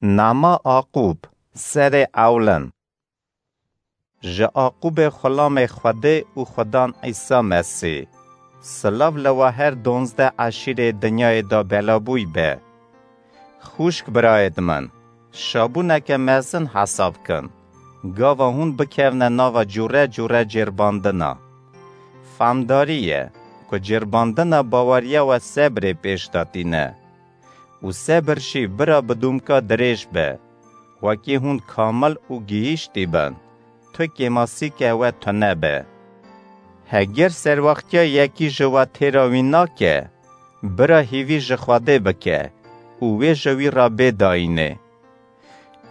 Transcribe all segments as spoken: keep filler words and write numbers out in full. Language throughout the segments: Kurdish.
Nama Aqûb, serê ewlin. Ji Aqûbê xulamê Xwedê û Xudan Îsa Mesîh. Silav li we her donzdeh eşîrê dinyayê de belabûy be. Xwişk birayêd min, şabûneke mezin hesab kin, gava hûn bikevne nava cûre cûre cêrbandina. Famdarî ye ku cêrbandina baweriya we sebrê pêş de tîne. Û sebir jî bira bi dûmka dirêj be, wekî hûn kamil û gihîştî bin, tu kêmasîke we tune be. Heger serwextiya yekî ji we têra wî nake, bira hîvî ji Xwedê bike û wê ji wî re bê dayînê.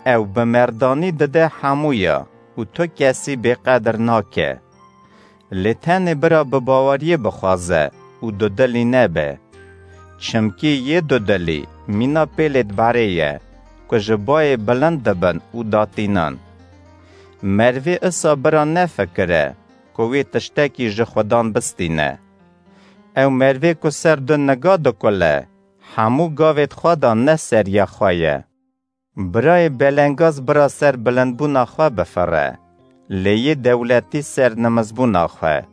Ew bi merdanî dide hemûya û tu kesî bêqedir nake. Lê tenê bira bi baweriyê bixwaze û dudilî nebe. Çimkî yê dudilî mîna pêlê dibarê ye ku ji bayê bilind dibin û datînin. Mervê isa bira nefikire ku wê tiştekî ji Xudan bistîne. Ew mervê ku ser du niga dikule, hemû gavêd xwe de ne seriya xwe ye. Birayê belengaz bira ser bilindbûna xwe bifire, lê yê dewletî ser nimizbûna xwe.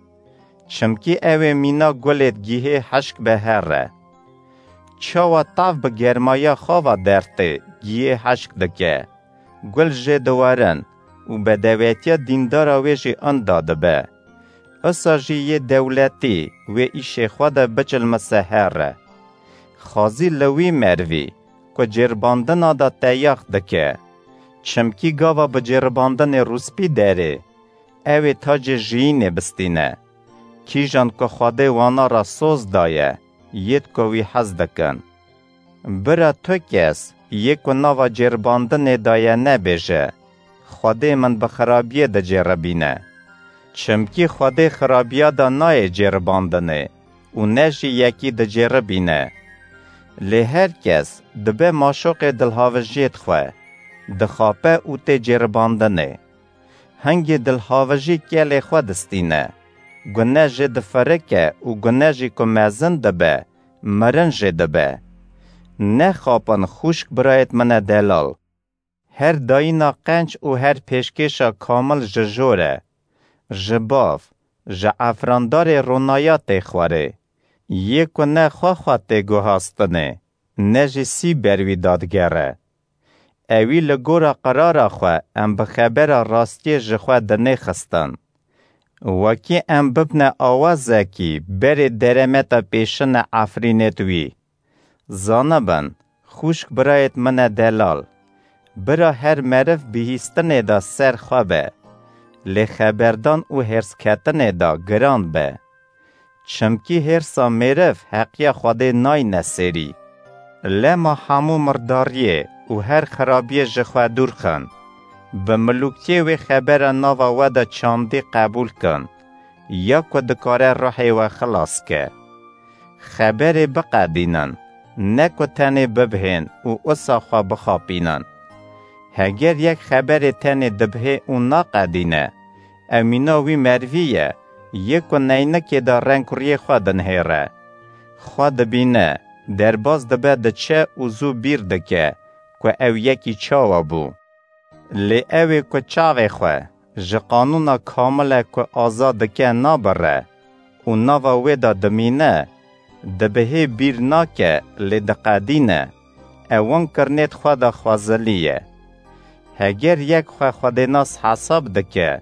Çimkî ew ê mîna gulêd gihê hişk be here. Çawa tav bi germaya xava dertê gihê hişk dike, gul jê diwerin û bedewetiya dîndara wê jî inda dibe. Isa jî yê dewletî wê îşê xwe de bicilmise here. Xazî li wî mervî ku cêrbandina de teyax dike. Çimkî gava bi cêribandinê rûspî derê, ew ê tacê jiyînê bistîne. Kîjan ku Xwedê wana re soz daye, yêd ku wî hez dikin. Bira tu kes, yê ku nava cêribandinê de ye nebêje, Xwedê min bi xirabiyê dicêribîne. Çimkî Xwedê xirabiya de nayê cêribandinê û ne jî yekî dicêribîne. Lê her kes dibe maşoqê dilhavijiyêd xwe, dixape û tê cêribandinê. Hingê dilhavijî kelê xwe distîne. Gune jê difirike û gune jî ku mezin dibe, mirin jê dibe. Nexapin xwişk birayêd min e delal. Her dayîna qenc û her pêşkêşa kamil ji jor e. Ji bav, ji efrandarê ronaya tê xwarê. Yê ku ne xwe xwe tê guhastinê, ne jî sî ber wî dadigere. Ewî li gora qirara xwe em bi xebera rastiyê ji xwe dinê xistin. Wekî em bibne awazekî berê deremeta pêşine efrînêt wî. Zanibin, xwişk birayêt min e delal. Bira her meriv bihîstinê de ser xwe be. Lê xeberdan û hêrsketinê de giran be. Çimkî hêrsa mêriv heqiya Xwedê nayne serî. Lema hemû mirdariyê û her xirabiyê ji xwe dûr xin. Bi milûktiyê wê xebera nava we de çandî qebûl kin, ya ku dikare ruhê we xilas ke. Xeberê biqedînin, ne ku tenê bibihên û usa xwe bixapînin. Heger yek xeberê tenê dibihê û naqedîne, ew mîna wî mervî ye, yê ku neynikê de reng rûyê xwe dinihêre. Xwe dibîne, derbas dibe diçe û zû bîr dike ku ew yekî çawa bû. Lê ew ê ku çavê xwe ji qanûna kamile ku aza dike nabire û nava wê de dimîne, dibihê bîr nake lê diqedîne, ew win kirinêt xwe de xwezilî ye. Heger yek xwe xwedênas hesab dike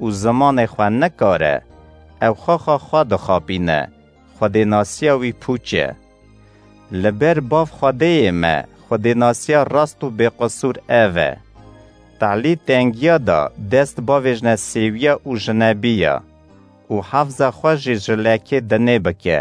û zimanê xwe nikare, ew xwexa xwe dixapîne, xwedênasiya wî pûç e. Li ber Bav Xwedêyê me, xwedênasiya rast û bêqisûr ev e. Talî tengiya da dest bavêjne sêwiya û jinebiya û hefza xwe jî ji lekê dinê bike.